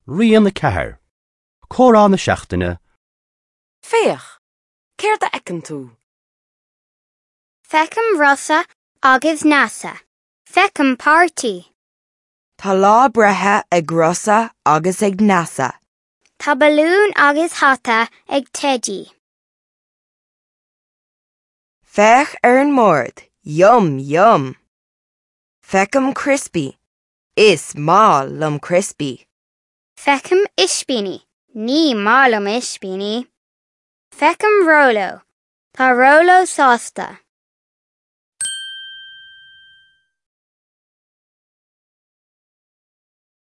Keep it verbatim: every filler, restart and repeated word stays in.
Rian a ceathair. Comhrá na seachtaine. Féach, céard a fheiceann tú? Feicim Rosa agus Neasa. Feicim páirtí. Tá lá breithe ag Rosa agus ag Neasa. Tá balún agus hata ag Teidí. Féach ar an mbord, yum yum. Feicim criospaí. Is maith liom criospaí. Feicim ispíní. Ní maith liom ispíní. Feicim Róló. Tá Róló sásta.